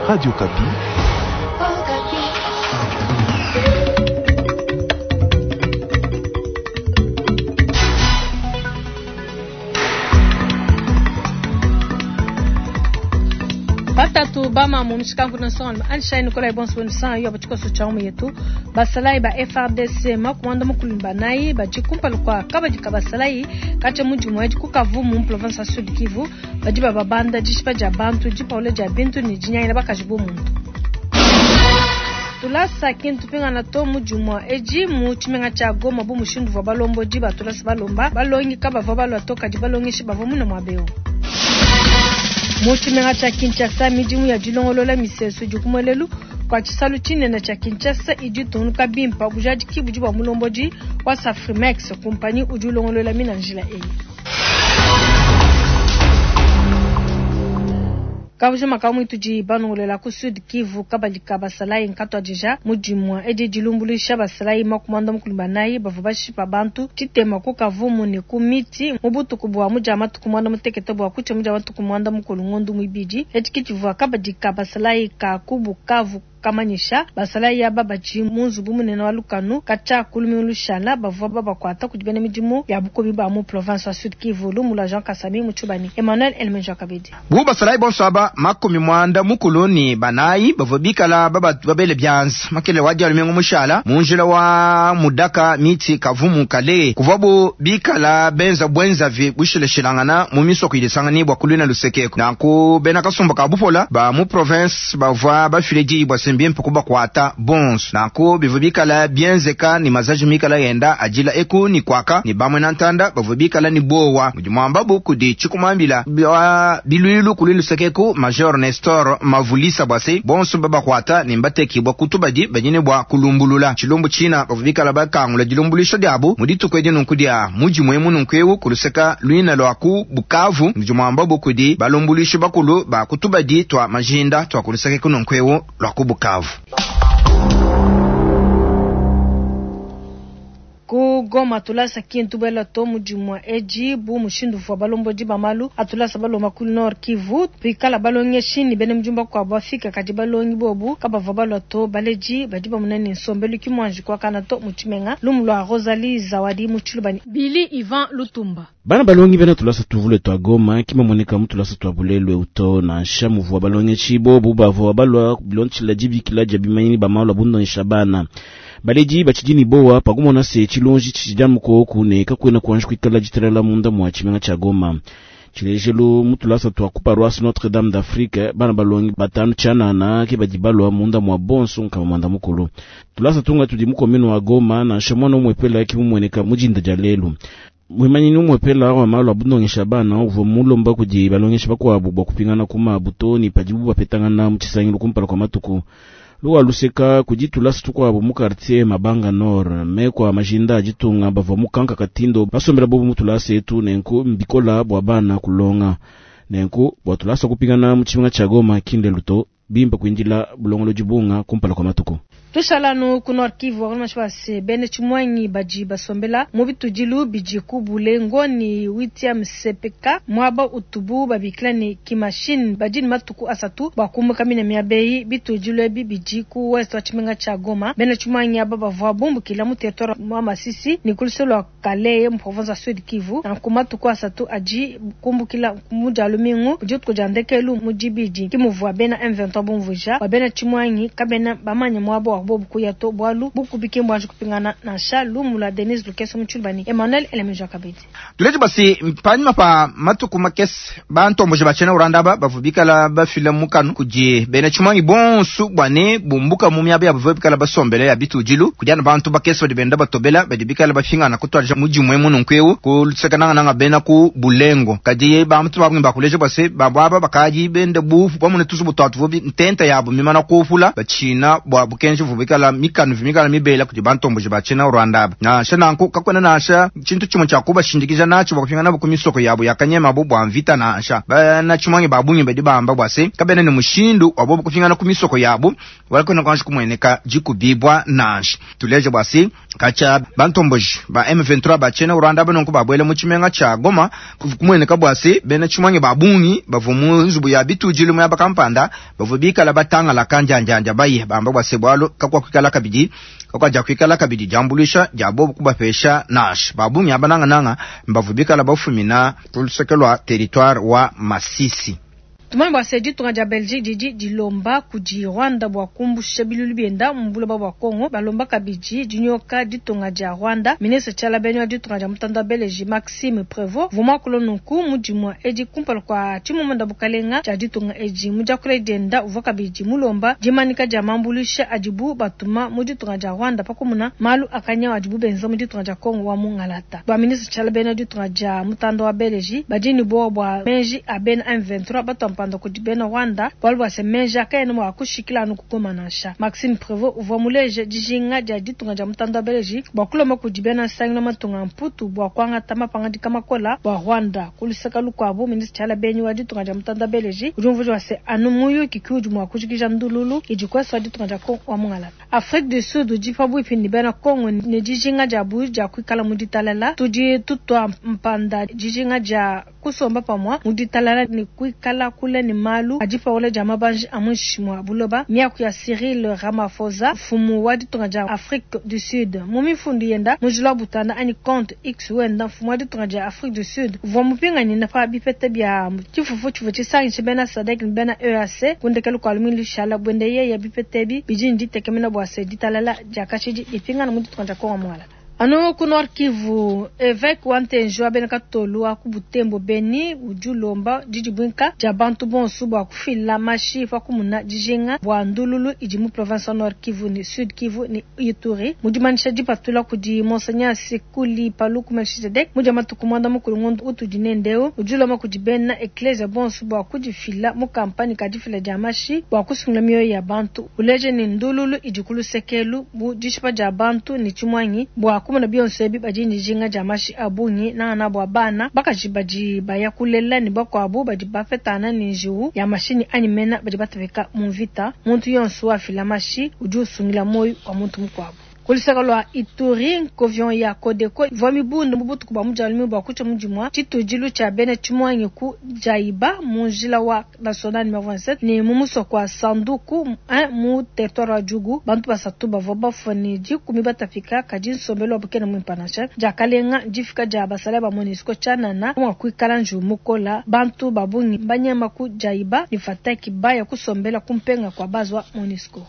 Radio Okapi. Batatu bamamu mushikangu na nsonga Anshai Nikolai bonso wenu yo batshikoso tshia mu yetu basalayi ba FARDC makumanda mukulu banayi badi kumpala kua kabadi ka basalayi katshia mudimu edi ku Kavumu mu province ya Sud Kivu badi bababanda dishipa dia bantu dipaula dia bintu ne dinyangila bakaji bu muntu. Tulasa kintu pingana to mudimu edi mu tshimenga tshia Goma bu mushindu uvua balombodi ba tulasa balomba balongi kabavua balua to kadi balongeshi bavua mune muaba eu. Mu tshimenga tshia Kinshasa midimu ya dilongolola misesu idi ku muelelu kua tshisalu tshinene tshia Kinshasa idi itungunuka bimpe. Bujadiki budi bua mulombodi wa Safrimex kumpanyi udi ulongolola mina njila eyi. Kabujima ka muitudi banongolela ku Sud Kivu kabadi ka basalayi nkatuadija mudimu edi dilumbuluisha basalayi makumanda mukulu banayi bavua bashipa bantu tshitema ku Kavumu ne ku miti mu butuku bua mudia matuku muanda mutekete bua kutshia mudia matuku muanda mukulu ngondu muibidi. Etshi kitshivua kabadi ka basalayi ka ku Bukavu kamanyisha basalayi aba badi mu nzubu munene wa lukanu katshia ku lumingu lushala bavua babakuata kudi bena midimu ya bukubi ba mu province wa Sud Kivu. Lumu lua Jean Kasami mu Tshibani, Emmanuel Elmenja kabidi. Bu basalayi bonso aba 94 bavua bikala babele bianza makele wa dia lumingu mushala mu njila wa Mudaka miti Kavumu Kale kuvuabu bikala benza bwenzavi bushilashilangana mu misoko idisangani bua kulwina lusekeko. Nanku bena kasumba ka bupola ba mu province bavua bafile diyi bua se mbimpe kubakuata bonso. Nanku bivua bikala bienzeka ni mazaji mikala yenda ajila eku ni kwaka ni bamwe na ntanda bavua bikala ni bowa mudi mwambabu kudi tshikumambila bwa bilwilu kuli lusekeku Major Nestor Mavulisa bwase bonso babakwata ni mbatekibwa kutubadi banyine bwa kulumbulula tshilumbu tshina bavua bikala bakangula dilumbulisha diabu mudituku edi nunku dia mudimu emu nunku eu kuluseka luina lwa ku Bukavu mudi mwambabu kudi balumbulishi bakulu ba kutubadi twa majinda twa kulusekeku nunku eu lwa ku Bukavu. Ku Goma tulasa kintu bela to mudimu edi bu mushindu uvua balombodi ba malu atulasa balomba ku Nord Kivu pikala balongeshi ni bena mujumba kwa bafika kadi balongi bobu kabavua balua to baledi badi bamona ne nsombelu kimwanji kuakana to mu tshimenga. Lumu lua Rosalie Zawadi mu Tshilubani. Billy Ivan Lutumba. Bana balongi bena tulasa tuvule twa Goma kimamoneka mu tulasa twa Bulelwe uto na nsha muvua balongeshi bobu bavua balua bilonchila dibikila dia bimanyini ba malu abundonyesha bana. Baledi batshidi bowa pakumona se tshilonji tshidi mukoku ne kakwena kuanji kuikala ditalala munda mwa tshimenga tshia Goma. Tshilejelu mu tulasa twa ku paroisse Notre Dame d'Afrique bana balongi batanu tshianana ke badi balua munda mwa bonso nkama mwanda mukulu. Tulasa tunga tudi mu commune wa Goma na nsha mwana umwepela ki mumweneka mujinda dia lelu. Mwimanyini umwepela wa malu abundongesha bana uvua mulomba kudi balongesha bakuabu bua kupingana ku mabu ni padibu bapetangana mu tshisangilu kumpala kwa matuku. Luwa luseka kudi tulasa tukuabu mu quartier Mabanga Nord me kwa majinda ajitunga bavua mukanka katindo basombela bobu mu tulasa etu nenku mbikola bua bana kulonga nenku bua tulasa kupingana mu tshimenga tshia Goma kinde luto bimpa kuindila bulongolo dibunga kumpala kwa matuku. Tushalanu ku Nord Kivu wakalomashwa bene tshimwanyi badi basombela mu bitudilu bidi ku Bulengo ni 8e CPK mwaba utubu babikila ni kimashine badi ni matuku asatu bakumbuka mina miabeyi bitudilu ebi bidi ku west wa tshimenga tshia Goma. Bene tshimwanyi aba bavua bumbukila mu territoire mwa Masisi ni kuluselo lwa Kalehe mu province ya Sud Kivu. Na ku matuku asatu adi kumbukila mu dia lumingu dituku dia ndekelu mu dibidi kimuvua bena M23 bumvuja wa bena tshimwanyi kabena bamanya mwabo wa bobu kuya to bwalu bukubike mbwanji kupingana na Shalu mula Denise Lukeso Mutshulubani Emmanuel Elemeja kabidi. Tuleje basi panyuma pa matuku makese bantomboje bachena uranda ba bavubikala bafila mukanu kudi bena tshimwanyi bonsu bwane bumbuka mu miaba ya bavubikala basombele ya bitudilu kudi bantu bakese badi benda batobela badi bikala bafingana kutwaja mudimu emu nunku ku lusekananga nanga bena ku Bulengo kadi bantu babungi bakuleje base bababa bakaji bende bufu bamune tuzubu twatu ntenta yabo mimana kufula bachina bwa bukenji vubikala mikanu vimikala mibela kudi bantomboje bachina Rwanda na shananku kakwena nasha chintu chimwe cha kubashindikija nacho bakufingana bo kumisoko yabo yakanyema bo bwa mvita nasha bana chimwangi babungi badi bamba bwase kabene ni mushindu wabo kufingana kumisoko yabo walakwena kwanje kumweneka jikubibwa nasha tuleje bwase kacha bantomboje ba M23 bachina Rwanda banonko babwele mu tshimenga tsha Goma kumweneka bwase bena chimwangi babungi bavu mu nzubu ya bitudilu mu ya bakampanda bavu Bavu bikala batangalaka njanjanja baye bamba bua se bualu kakuakuikala kabidi kakuajakuikala kabidi diambuluisha dia bobu kubapesha nansha. Ba bungi aba nangananga mbavu bikala bafumina ku luseke lua territoire wa Masisi. Tumanye bua se ditunga dia Belgique didi dilomba kudi Rwanda bua kumbusha bilulu bienda mu buloba bua Congo, balomba kabidi dinyoka ditunga dia Rwanda. Ministre Tshiala Benyi wa ditunga dia mutanda wa Beleji Maxime Prevot uvua muakula nunku mu dimua edi kumpala kua tshimumunda bukalenga tshia ditunga edi. Mu diakula dienda uvua kabidi mulomba dimanyika dia mambuluisha adibu batuma mu ditunga dia Rwanda pa kumuna malu a kanyawu adibu benza mu ditunga dia Congo wa mungalata. Bua ministre Tshiala Benyi wa ditunga dia mutanda wa Beleji badi ne buowa bua meji a bena M23 batua mpanda kudi bena Rwanda bualu bua se meji akaena mua kushikila anu ku Goma nansha. Maxime Prevot uvua muleje dijinga dia ditunga dia mutanda wa Beleji bua kulomba kudi bena nsangilu wa matunga a Mputu bua kuangata mapangadika makola bua Rwanda. Ku luseke lukuabu, ministre Tshiala Benyi wa ditunga dia mutanda wa Beleji udi umvuija bua se anu muyuki ke udi mua kujikija ndululu idi ku est wa ditunga dia Congo wa mungalata. Afrique du Sud udi pabuipi ne bena Congo ne dijinga diabu dia kuikala mu ditalala. Tudi tutua mpanda dijinga dia kusomba pamua mu ditalala ne kuikala kule ne malu a dipawula dia mabanji a muinshi mua buloba. Miaku ya Cyril Ramaphosa, mfumu wa ditunga dia Afrique du Sud, mu mifundu yenda mu njila wa butanda anyi compte X wenda, mfumu wa ditunga dia Afrique du Sud uvua mupinganyina pa bipeta bia tshifufu tshivua tshisangishe bena SADC ne bena EAC ku ndekelu kua lumingu lushala. Buende yeye, bipeta ebi bidi ne ditekemena bua se ditalala dia kashidi dipingana mu ditunga dia Congo mualala. Anu ku Nord Kivu, evêque wa Ntenji wa bena Katolu wa ku Butembo Beni udi ulomba didibuinka dia bantu bonso bua kufila mashi pa kumuna dijinga bua ndululu idi mu province wa Nord Kivu ne Sud Kivu ne Ituri. Mu dimanyisha dipatula kudi Monseigneur Sikuli Paluku Melchizedek mu dia matuku muanda mukulu ngondo utudi nende eu, udi ulomba kudi bena eklesia bonso bua kudifila mu kampanye ka difila dia mashi bua kusungila mioyo ya bantu. Uleje ne ndululu idi ku lusekelu bu dishipa dia bantu ne tshimuangi bua kumona bionso ebi badi ne dijinga dia mashi a bungi, nangana bua bana bakaji badi baya kulela ne bakuabu badi bapetana ne njiwu ya mashinyi anyi mena badi batapika mu mvita. Muntu yonso wafila mashi udi usungila muoyo wa muntu mukuabu. Ku luseke lua Ituri, nkovion ya Codeco ivua mibunde mu butuku bua mudialume bua kutshia mu dimua tshitudilu tshia bena tshimuangi ku Djaiba mu njila wa national numero 27 ne mu musoko wa Sanduku 1 mu territoire wa Djugu. Bantu basatu bavua bafua ne 10 batapika, kadi nsombelu wabu kena muimpe nansha. Diakalenga, difika dia basalayi ba MONUSCO tshianana mua kuikala njiwu mukola. Bantu ba bungi mbanyema ku Djaiba ne Fataki baya kusombela ku mpenga kua base wa MONUSCO.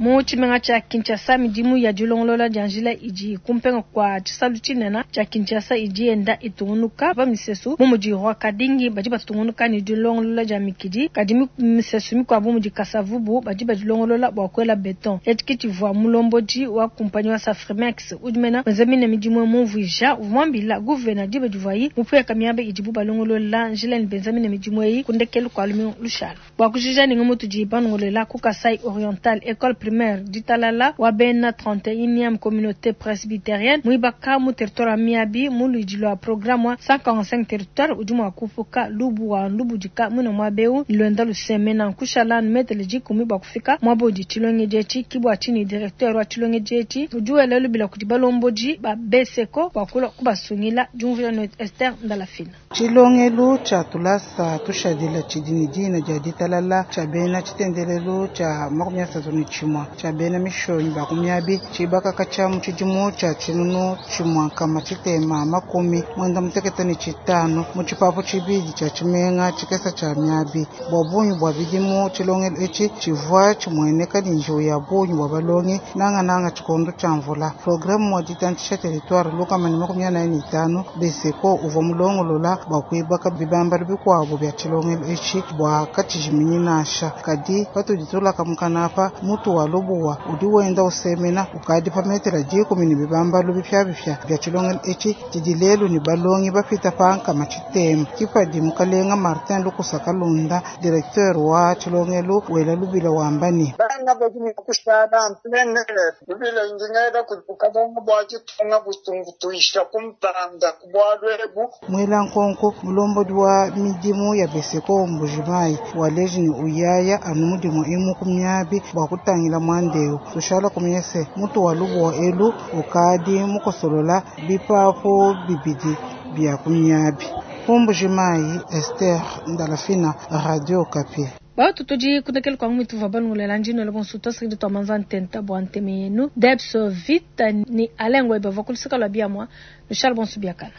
Mu tshimenga tshia Kinshasa, midimu ya dilongolola dia njila idi ku mpenga kua tshisalu tshinene tshia Kinshasa idi yenda itungunuka pa misesu bu mudi Rwakadingi badi batungunuka ne dilongolola dia mikidi, kadi misesu mikuabu mudi Kasavubu badi badilongolola bua kuela beton. Etshi ke tshivua mulombodi wa kumpanyi wa Safrimex udi mena wenza mine midimu mumvuija, uvua muambila guvena diba divuayi mupueka miaba idibu balongolola njila ne benza mine midimu eyi ku ndekelu kua lumingu lushala. Bua kujija ne ngumu tudi banongolola ku Kasai Oriental, Ecole Primaire Ditalala wa bena 31e communauté presbytérienne muibaka mu territoire wa Miabi mu luidi lua programme wa 145 territoire udi mua kupuka lubu wa lubudika muine muaba eu ne luenda lusemena nkushala anu metele 10 bua kufika muaba udi tshilongedi etshi. Ke bua tshinyi directeur wa tshilongedi etshi udi wela lubila kudi balombodi ba BSECO bua kulua kubasungila. Diumvuija ne Esther Ndalafina. Tshilongelu tshia tulasa tushadila tshidi ne dina dia ditalala tshia bena tshitendelelu tshia 31 tshia bena mishonyi ba ku miabi tshibakaka tshia mu tshidimu tshia 1695 mu tshipapu tshibidi tshia tshimenga tshikesa tshia miabi. Bua bungi bua bidimu tshilongelu etshi tshivua tshimueneka ne njiwu ya bungi bua balongi nangananga tshikondo tshia mvula. Programme wa ditantshisha territoire 145 BSECO uvua mulongolola bua kuibaka bibambalu bikuabu bia tshilongelu etshi bua katshijiminyi nansha. Kadi patudi tulaka mukanapa mutu wa lubuwa udi wenda usemena ukadi pa metela 10 ne bibambalu bipiabipia bia tshilongelu etshi tshidi lelu ne balongi bapita pa nkama tshitema. Kipadi mukalenga Martin Lukusa Kalunda directeur wa tshilongelu wela lubila wamba ne bana badi ne kushala en plein air lubila ndingela kukalenga bua tshitunga butungutuisha kumpanda ku bualu ebu. Mwela nkonko mulombodi wa midimu ya BSECO Mbujimayi waleji ne uyaya anu mudimu emu ku miabi bua kutangila mwandeu. Tushala kumyese mutu wa lubuwa elu ukadi mukosolola bipapu bibidi bia ku miabi. Ku Mbuji-Mayi, Esther Ndalafina, Radio Okapi. Batu tudi kundekela kwa ngumi tuva balungulela ndino bonso twasakidi twa manza ntenta bua nteme yenu Debs Vita ni Alengwe bava kuluseka lwa biamwa Charles bonso biakana.